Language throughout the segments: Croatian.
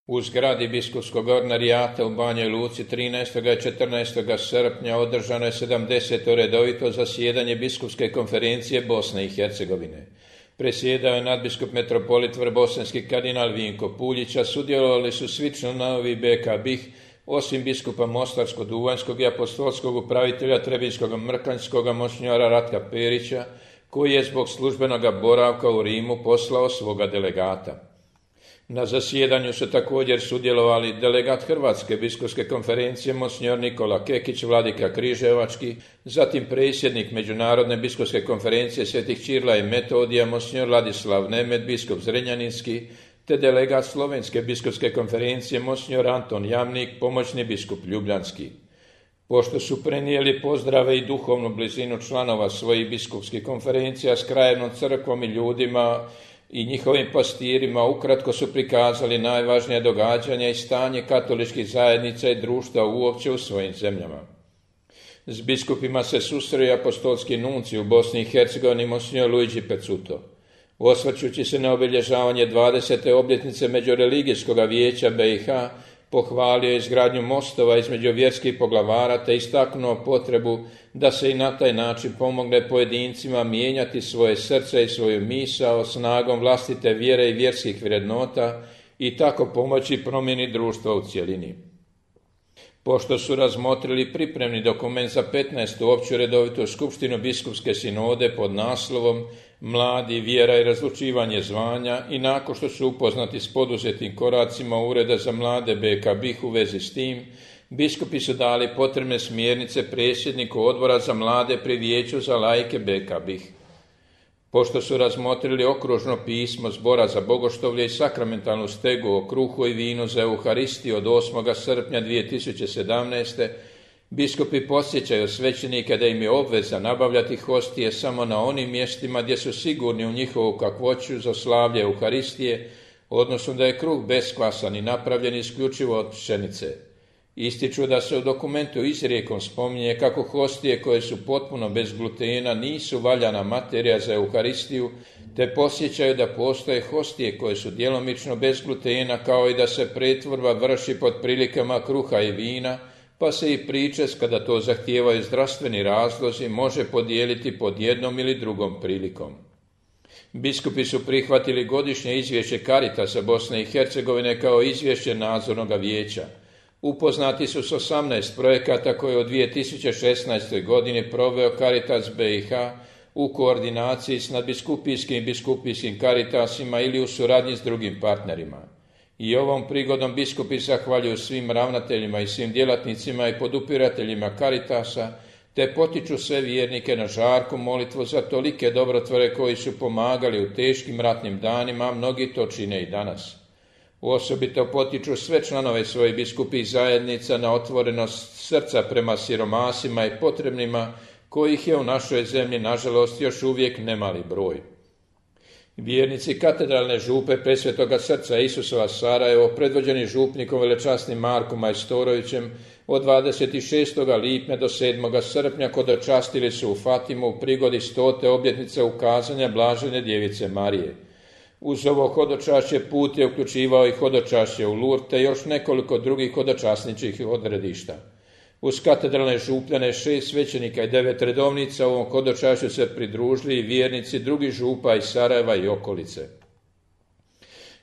U zgradi biskupskog ordinarijata u Banjoj Luci 13. i 14. srpnja održano je 70. redovito zasjedanje biskupske konferencije Bosne i Hercegovine. Presjedao je nadbiskup metropolit vrbosanski kardinal Vinko Puljić, a sudjelovali su svi članovi BK BiH, osim biskupa Mostarsko-Duvanjskog i apostolskog upravitelja Trebinjskog Mrkanjskog monsinjora Ratka Perića, koji je zbog službenog boravka u Rimu poslao svoga delegata. Na zasjedanju su također sudjelovali delegat Hrvatske biskupske konferencije monsinjor Nikola Kekić, vladika Križevački, zatim predsjednik Međunarodne biskupske konferencije Svetih Čirila i Metodija monsinjor Ladislav Nemet, biskup Zrenjaninski, te delegat Slovenske biskupske konferencije monsinjor Anton Jamnik, pomoćni biskup Ljubljanski. Pošto su prenijeli pozdrave i duhovnu blizinu članova svojih biskupskih konferencija s krajevnom crkvom i ljudima i njihovim pastirima, ukratko su prikazali najvažnije događanja i stanje katoličkih zajednica i društva uopće u svojim zemljama. S biskupima se susreo apostolski nuncij u Bosni i Hercegovini monsinjor Luigi Pezzuto. Osvrćući se na obilježavanje 20. obljetnice Međureligijskog vijeća BiH, pohvalio je izgradnju mostova između vjerskih poglavara te istaknuo potrebu da se i na taj način pomogne pojedincima mijenjati svoje srce i svoju misao snagom vlastite vjere i vjerskih vrednota i tako pomoći promjeni društva u cjelini. Pošto su razmotrili pripremni dokument za 15. opću redovitu skupštinu biskupske sinode pod naslovom Mladi, vjera i razlučivanje zvanja i nakon što su upoznati s poduzetim koracima Ureda za mlade BK BiH u vezi s tim, biskupi su dali potrebne smjernice predsjedniku odbora za mlade pri vijeću za laike BK BiH. Pošto su razmotrili okružno pismo Zbora za bogoštovlje i sakramentalnu stegu o kruhu i vinu za Euharistiju od 8. srpnja 2017. biskupi podsjećaju svećenike da im je obveza nabavljati hostije samo na onim mjestima gdje su sigurni u njihovu kakvoću za slavlje Euharistije, odnosno da je kruh beskvasan i napravljen isključivo od pšenice. Ističu da se u dokumentu izrijekom spominje kako hostije koje su potpuno bez glutena nisu valjana materija za Euharistiju, te podsjećaju da postoje hostije koje su djelomično bez glutena, kao i da se pretvorba vrši pod prilikama kruha i vina, pa se i pričest, kada to zahtijevaju zdravstveni razlozi, može podijeliti pod jednom ili drugom prilikom. Biskupi su prihvatili godišnje izvješće Caritasa Bosne i Hercegovine kao izvješće nadzornog vijeća. Upoznati su s 18 projekata koje u 2016. godini proveo Caritas BiH u koordinaciji s nadbiskupijskim i biskupijskim Caritasima ili u suradnji s drugim partnerima. I ovom prigodom biskupi zahvaljuju svim ravnateljima i svim djelatnicima i podupirateljima Caritasa, te potiču sve vjernike na žarku molitvu za tolike dobrotvore koji su pomagali u teškim ratnim danima, a mnogi to čine i danas. Osobito potiču sve članove svojih biskupih zajednica na otvorenost srca prema siromasima i potrebnima, kojih je u našoj zemlji, nažalost, još uvijek nemali broj. Vjernici katedralne župe Presvetoga srca Isusova Sarajevo, predvođeni župnikom velečasnim Markom Majstorovićem, od 26. lipnja do 7. srpnja hodočastili su u Fatimu u prigodi 100. obljetnice ukazanja Blažene Djevice Marije. Uz ovo hodočašće put je uključivao i hodočašće u Lourdes te još nekoliko drugih hodočasničkih odredišta. Uz katedralne župljane 6 svećenika i 9 redovnica ovom hodočašću se pridružili i vjernici drugih župa iz Sarajeva i okolice.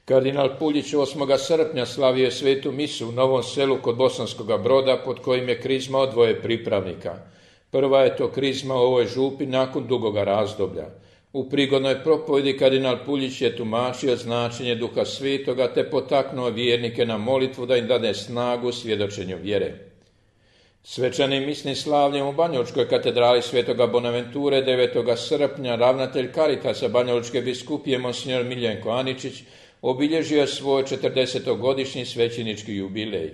Kardinal Puljić 8. srpnja slavio je svetu misu u Novom Selu kod Bosanskog Broda, pod kojim je krizmao 2 pripravnika. Prva je to krizma u ovoj župi nakon dugoga razdoblja. U prigodnoj propovjedi kardinal Puljić je tumačio značenje Duha Svetoga te potaknuo vjernike na molitvu da im dade snagu svjedočenju vjere. Svečanim misnim slavljem u Banjalučkoj katedrali Svetoga Bonaventure 9. srpnja ravnatelj Caritasa Banjalučke biskupije monsinjor Miljenko Aničić obilježio je svoj 40-godišnji svećenički jubilej.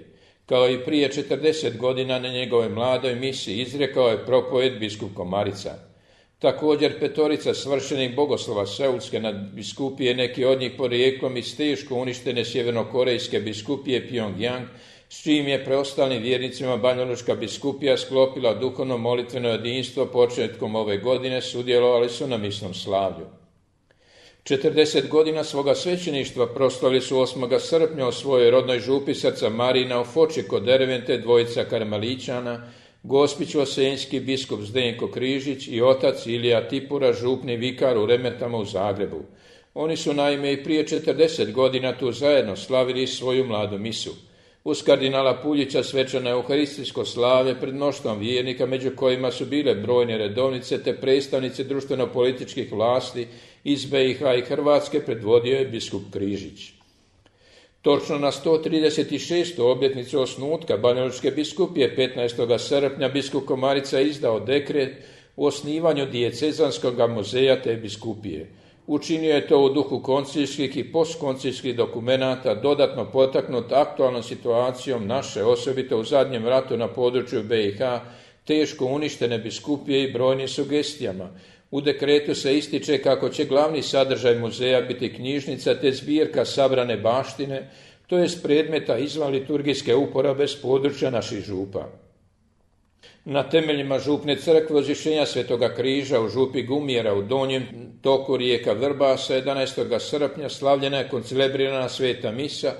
Kao i prije 40 godina na njegovoj mladoj misi izrekao je propovjed biskup Komarica. Također 5 svršenih bogoslova Seulske nadbiskupije, neki od njih porijeklom iz teško uništene sjevernokorejske biskupije Pyongyang, s čijim je preostalim vjernicima Banjalučka biskupija sklopila duhovno molitveno jedinstvo početkom ove godine, sudjelovali su na misnom slavlju. 40 godina svoga svećeništva proslavili su 8. srpnja u svojoj rodnoj župi Srca Marina u Foči kod Dervente dvojica karmeličana, Gospić Osenjski biskup Zdenko Križić i otac Ilija Tipura, župni vikar u Remetama u Zagrebu. Oni su naime i prije 40 godina tu zajedno slavili svoju mladu misu. Uz kardinala Puljića svečano euharistijsko slave pred mnoštvom vjernika, među kojima su bile brojne redovnice te predstavnici društveno-političkih vlasti iz BiH i Hrvatske, predvodio je biskup Križić. Točno na 136. obljetnicu osnutka Banjalučke biskupije 15. srpnja biskup Komarica izdao dekret o osnivanju dijecezanskog muzeja te biskupije. Učinio je to u duhu konciljskih i postkonciljskih dokumenata, dodatno potaknut aktualnom situacijom naše, osobito u zadnjem ratu na području BiH, teško uništene biskupije i brojnim sugestijama. U dekretu se ističe kako će glavni sadržaj muzeja biti knjižnica te zbirka sabrane baštine, to jest predmeta izvan liturgijske uporabe s područja naših župa. Na temeljima župne crkve Uzvišenja Svetoga križa u župi Gumjera u donjem toku rijeka Vrbasa 11. srpnja slavljena je koncelebrirana sveta misa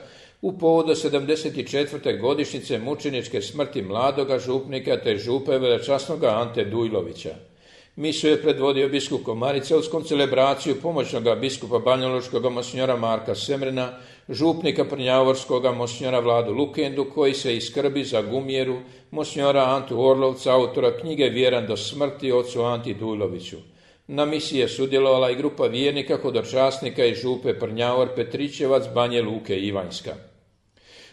u povodu 74. godišnjice mučeničke smrti mladoga župnika te župe velečasnoga Ante Dujlovića. Misu je predvodio biskup Komarica uz koncelebraciju pomoćnoga biskupa banjalučkog monsinjora Marka Semrena, župnika prnjavorskoga monsinjora Vladu Lukendu, koji se iskrbi za Gumjeru, monsinjora Antu Orlovca, autora knjige Vjeran do smrti, ocu Anti Dujloviću. Na misiji je sudjelovala i grupa vjernika hodočasnika iz župe Prnjavor, Petrićevac, Banje Luke i Ivanjska.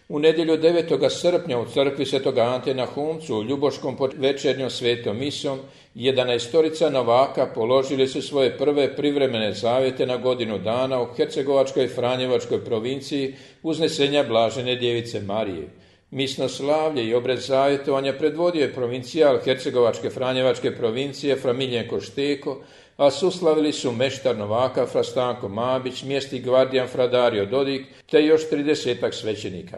U nedjelju 9. srpnja u crkvi Svetoga Ante na Humcu u Ljuboškom pod večernjom svetom misom 11 novaka položili su svoje prve privremene zavjete na godinu dana u Hercegovačkoj i Franjevačkoj provinciji uznesenja Blažene Djevice Marije. Misno slavlje i obred zavjetovanja predvodio je provincijal Hercegovačke Franjevačke provincije fra Miljenko Šteko, a suslavili su meštar novaka fra Stanko Mabić, mjesti gvardijan fra Dario Dodik, te još 30 svećenika.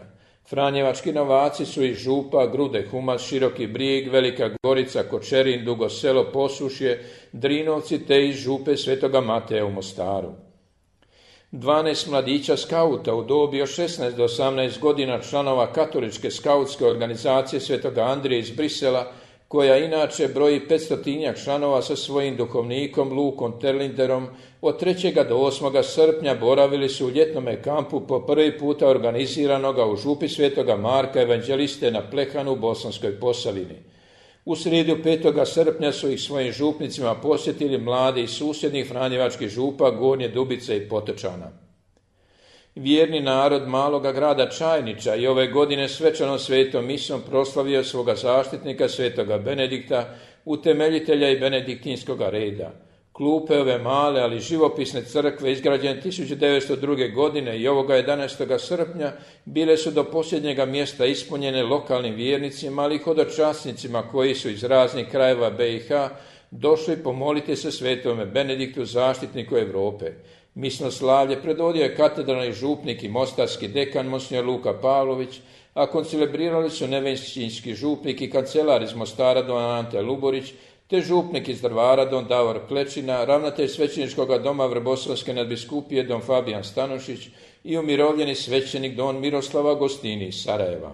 Franjevački novaci su iz župa Grude, Humac, Široki Brijeg, Velika Gorica, Kočerin, Dugo Selo, Posušje, Drinovci te iz župe Svetoga Mateja u Mostaru. 12 mladića skauta u dobi od 16 do 18 godina članova katoličke skautske organizacije Svetoga Andrije iz Brisela, koja inače broji 500 članova sa svojim duhovnikom Lukom Terlinderom, od 3. do 8. srpnja boravili su u ljetnome kampu po prvi puta organiziranoga u župi Svetoga Marka evanđeliste na Plehanu u Bosanskoj Posavini. U srijedu 5. srpnja su ih svojim župnicima posjetili mladi iz susjednih franjevačkih župa Gornje Dubice i Potočana. Vjerni narod maloga grada Čajnića i ove godine svečanom svetom misom proslavio svoga zaštitnika Svetoga Benedikta, utemeljitelja i benediktinskoga reda. Klupe ove male, ali živopisne crkve izgrađene 1902. godine i ovoga 11. srpnja bile su do posljednjega mjesta ispunjene lokalnim vjernicima, ali i hodočasnicima koji su iz raznih krajeva BiH došli pomoliti se Svetome Benediktu, zaštitniku Europe. Misno slavlje predvodio je katedralni župnik i mostarski dekan monsinjor Luka Pavlović, a koncelebrirali su nevenšćinski župnik i kancelar iz Mostara don Ante Luborić, te župnik iz Drvara don Davor Klečina, ravnatelj svećeničkog doma Vrboslavske nadbiskupije don Fabijan Stanošić i umirovljeni svećenik don Miroslav Agostini iz Sarajeva.